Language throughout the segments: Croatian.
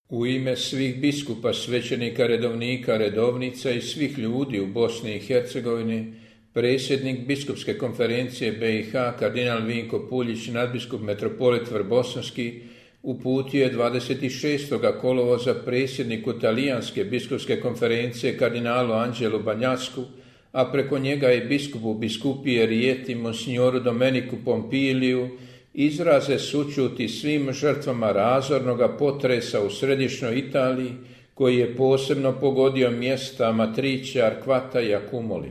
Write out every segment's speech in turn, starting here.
U ime svih biskupa, svećenika, redovnika, redovnica i svih ljudi u Bosni i Hercegovini, predsjednik Biskupske konferencije BiH, kardinal Vinko Puljić, nadbiskup metropolit Vrbosanski, uputio je 26. kolovoza predsjedniku Talijanske biskupske konferencije kardinalu Anđelu Banjasku, a preko njega i biskupu biskupije Rijeti monsignoru Domeniku Pompiliju, izraze sućuti svim žrtvama razornoga potresa u središnjoj Italiji, koji je posebno pogodio mjesta Amatrice, Arquata i Accumoli.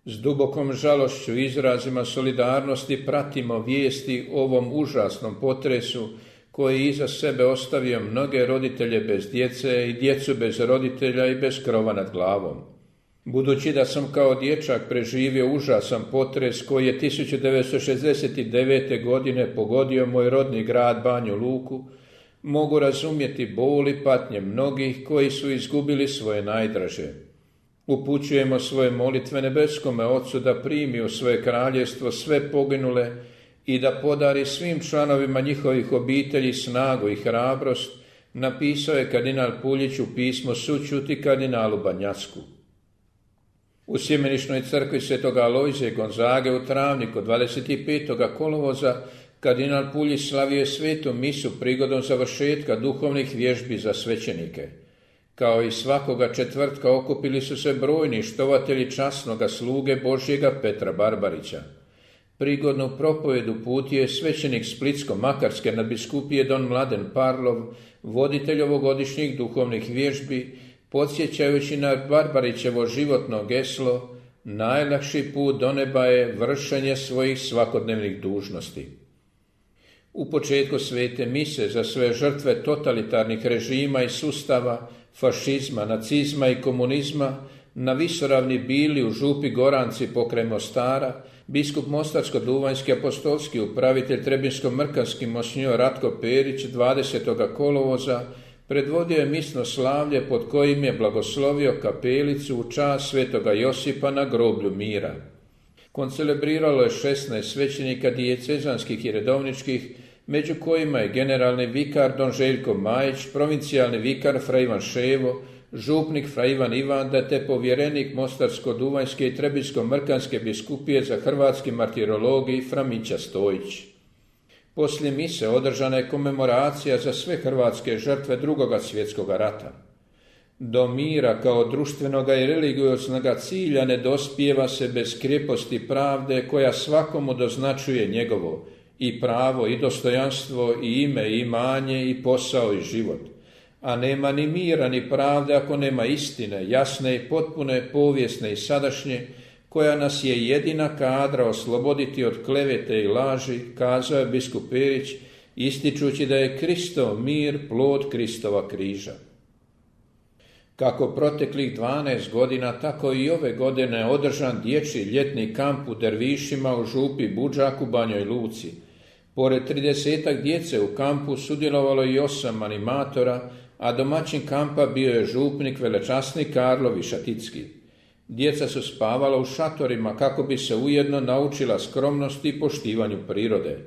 S dubokom žalošću i izrazima solidarnosti pratimo vijesti o ovom užasnom potresu koji je iza sebe ostavio mnoge roditelje bez djece i djecu bez roditelja i bez krova nad glavom. Budući da sam kao dječak preživio užasan potres koji je 1969. godine pogodio moj rodni grad Banju Luku, mogu razumjeti bol i patnje mnogih koji su izgubili svoje najdraže. Upućujemo svoje molitve nebeskome Ocu da primi u svoje kraljevstvo sve poginule i da podari svim članovima njihovih obitelji snagu i hrabrost, napisao je kardinal Puljić u pismo sućuti kardinalu Banjasku. U Sjemeničnoj crkvi Svetog Alojzija Gonzage u Travniku 25. kolovoza kardinal Puljić slavio je svetu misu prigodom završetka duhovnih vježbi za svećenike. Kao i svakoga četvrtka okupili su se brojni štovatelji časnoga sluge Božjega Petra Barbarića. Prigodnu propovjed uputio je svećenik Splitsko-Makarske nadbiskupije don Mladen Parlov, voditelj ovogodišnjih duhovnih vježbi, podsjećajući na Barbarićevo životno geslo: najlakši put do neba je vršenje svojih svakodnevnih dužnosti. U početku svete mise za sve žrtve totalitarnih režima i sustava, fašizma, nacizma i komunizma, na visoravni Bili u župi Goranci pokraj Mostara, biskup Mostarsko-duvanjski apostolski upravitelj Trebinsko-mrkanski monsinjor Ratko Perić 20. kolovoza predvodio je misno slavlje pod kojim je blagoslovio kapelicu u čast svetoga Josipa na groblju mira. Koncelebriralo je 16 svećenika dijecezanskih i redovničkih, među kojima je generalni vikar don Željko Majić, provincijalni vikar fra Ivan Ševo, župnik fra Ivan Ivanda te povjerenik Mostarsko-duvanjske i Trebinsko-mrkanske biskupije za hrvatski martirologij fra Mića Stojić. Poslije mise održana je komemoracija za sve hrvatske žrtve Drugoga svjetskog rata. Do mira kao društvenoga i religioznoga cilja ne dospijeva se bez kreposti pravde koja svakomu doznačuje njegovo i pravo i dostojanstvo i ime i imanje i posao i život. A nema ni mira ni pravde ako nema istine, jasne i potpune, povijesne i sadašnje, koja nas je jedina kadra osloboditi od klevete i laži, kazao je biskup Perić, ističući da je Kristov mir plod Kristova križa. Kako proteklih 12 godina, tako i ove godine održan dječji ljetni kamp u Dervišima u župi Budžak u Banjoj Luci. Pored 30 djece u kampu sudjelovalo i 8 animatora, a domaćin kampa bio je župnik velečasni Karlo Višaticki. Djeca su spavala u šatorima kako bi se ujedno naučila skromnosti i poštivanju prirode.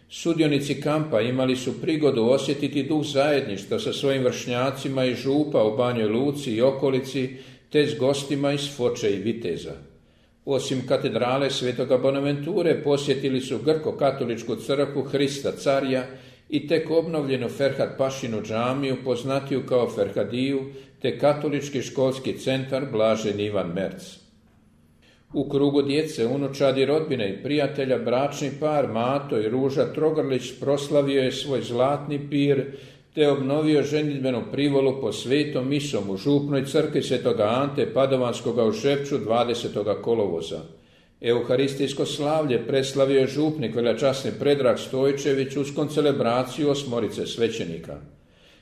Sudionici kampa imali su prigodu osjetiti duh zajedništva sa svojim vršnjacima iz župa u Banjoj Luci i okolici, te s gostima iz Foče i Viteza. Osim katedrale Svetoga Bonaventure posjetili su grko-katoličku crkvu Hrista Carja i tek obnovljenu Ferhat Pašinu džamiju, poznatiju kao Ferhadiju, te katolički školski centar Blaženi Ivan Merc. U krugu djece, unučadi, rodbine i prijatelja bračni par Mato i Ruža Trogrlić proslavio je svoj zlatni pir te obnovio ženidbenu privolu po svetom misom u župnoj crkvi Svetoga Ante Padovanskoga u Šepču 20. kolovoza. Euharistijsko slavlje preslavio je župnik velečasni Predrag Stojčević uz koncelebraciju 8 svećenika.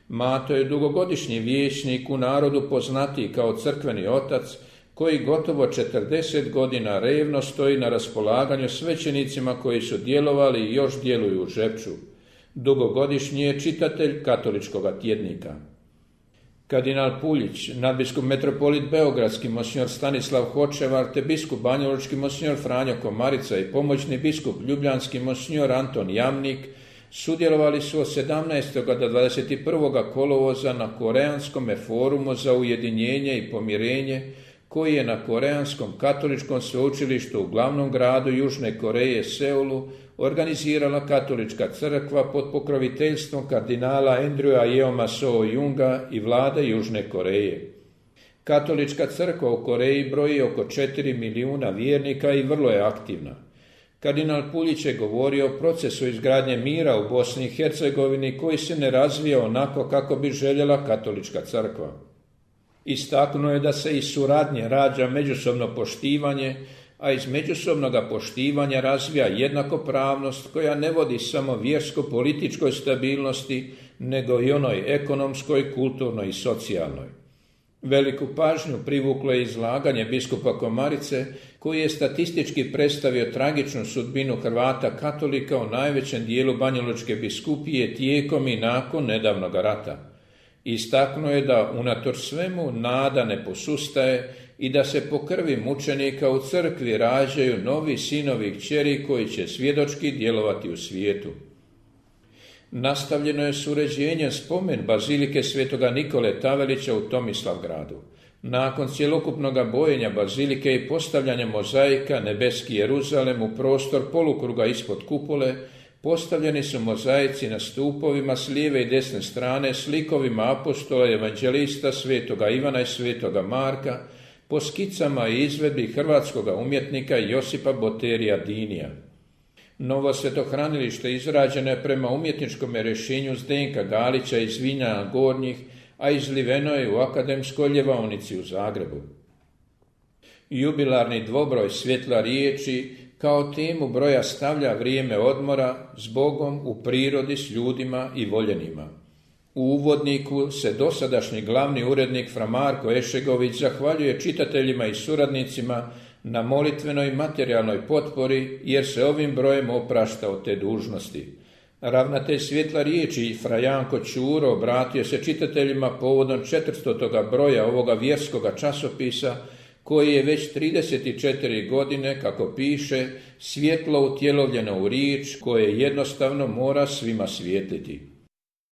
Mato je dugogodišnji vijećnik, u narodu poznatiji kao crkveni otac, koji gotovo 40 godina revno stoji na raspolaganju svećenicima koji su djelovali i još djeluju u Žepču. Dugogodišnji je čitatelj katoličkoga tjednika. Kardinal Puljić, nadbiskup metropolit beogradski monsinjor Stanislav Hočevar te biskup banjalučki monsinjor Franjo Komarica i pomoćni biskup ljubljanski monsinjor Anton Jamnik Sudjelovali su od 17. do 21. kolovoza na Koreanskom forumu za ujedinjenje i pomirenje, koji je na Koreanskom katoličkom sveučilištu u glavnom gradu Južne Koreje, Seulu, organizirala Katolička crkva pod pokroviteljstvom kardinala Andrewa Yeoma Seo-junga i vlade Južne Koreje. Katolička crkva u Koreji broji oko 4 milijuna vjernika i vrlo je aktivna. Kardinal Puljić je govorio o procesu izgradnje mira u Bosni i Hercegovini koji se ne razvija onako kako bi željela Katolička crkva. Istaknuo je da se iz suradnje rađa međusobno poštivanje, a iz međusobnog poštivanja razvija jednakopravnost koja ne vodi samo vjersko-političkoj stabilnosti, nego i onoj ekonomskoj, kulturnoj i socijalnoj. Veliku pažnju privuklo je izlaganje biskupa Komarice, koji je statistički predstavio tragičnu sudbinu Hrvata katolika u najvećem dijelu Banjalučke biskupije tijekom i nakon nedavnog rata. Istaknuo je da unatoč svemu nada ne posustaje i da se po krvi mučenika u crkvi rađaju novi sinovi i kćeri koji će svjedočki djelovati u svijetu. Nastavljeno je s uređenjem spomen bazilike Svetoga Nikole Tavelića u Tomislavgradu. Nakon cjelokupnog bojenja bazilike i postavljanja mozaika Nebeski Jeruzalem u prostor polukruga ispod kupole, postavljeni su mozaici na stupovima s lijeve i desne strane s likovima apostola i evanđelista Svetoga Ivana i Svetoga Marka, po skicama i izvedbi hrvatskog umjetnika Josipa Boterija Dinija. Novo svetohranilište izrađeno je prema umjetničkom rješenju Zdenka Galića iz Vinjana Gornjih, a izliveno je u Akademskoj ljevaonici u Zagrebu. Jubilarni dvobroj Svjetla riječi kao temu broja stavlja vrijeme odmora s Bogom u prirodi s ljudima i voljenima. U uvodniku se dosadašnji glavni urednik Fra Marko Ešegović zahvaljuje čitateljima i suradnicima na molitvenoj i materijalnoj potpori, jer se ovim brojem oprašta od te dužnosti. Ravnatelj Svjetla riječi Fra Janko Ćuro obratio se čitateljima povodom 400. broja ovoga vjerskoga časopisa, koji je već 34 godine, kako piše, svjetlo utjelovljeno u riječ koje jednostavno mora svima svijetliti.